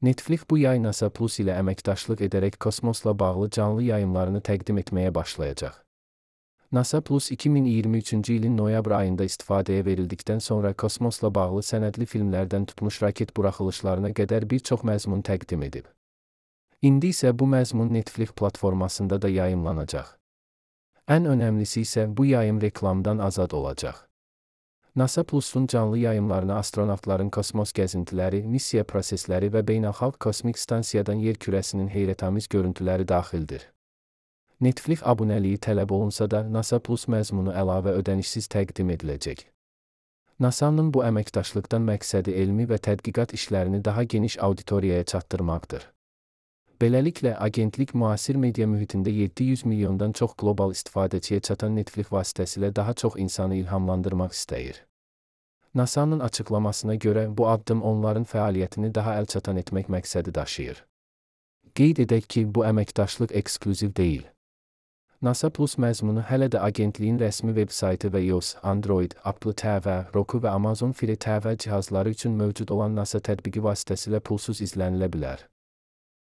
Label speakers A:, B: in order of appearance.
A: Netflix bu yay NASA Plus ilə əməkdaşlıq edərək kosmosla bağlı canlı yayımlarını təqdim etməyə başlayacaq. NASA Plus 2023-cü ilin noyabr ayında istifadəyə verildikdən sonra kosmosla bağlı sənədli filmlərdən tutmuş raket buraxılışlarına qədər bir çox məzmun təqdim edib. İndi isə bu məzmun Netflix platformasında da yayımlanacaq. Ən önəmlisi isə bu yayım reklamdan azad olacaq. NASA Plus-un canlı yayımlarına astronavtların kosmos gəzintiləri, missiya prosesləri və beynəlxalq kosmik stansiyadan yer kürəsinin heyrətamiz görüntüləri daxildir. Netflix abunəliyi tələb olunsa da NASA Plus məzmunu əlavə ödənişsiz təqdim ediləcək. NASA-nın bu əməkdaşlıqdan məqsədi elmi və tədqiqat işlərini daha geniş auditoriyaya çatdırmaqdır. Beləliklə, agentlik müasir media mühitində 700 milyondan çox qlobal istifadəçiyə çatan Netflix vasitəsilə daha çox insanı ilhamlandırmaq istəyir. NASA-nın açıqlamasına görə bu addım onların fəaliyyətini daha əlçatan etmək məqsədi daşıyır. Qeyd edək ki, bu əməkdaşlıq eksklüziv deyil. NASA Plus məzmunu hələ də agentliyin rəsmi veb-saytı və iOS, Android, Apple TV, Roku və Amazon Fire TV cihazları üçün mövcud olan NASA tətbiqi vasitəsilə pulsuz izlənilə bilər.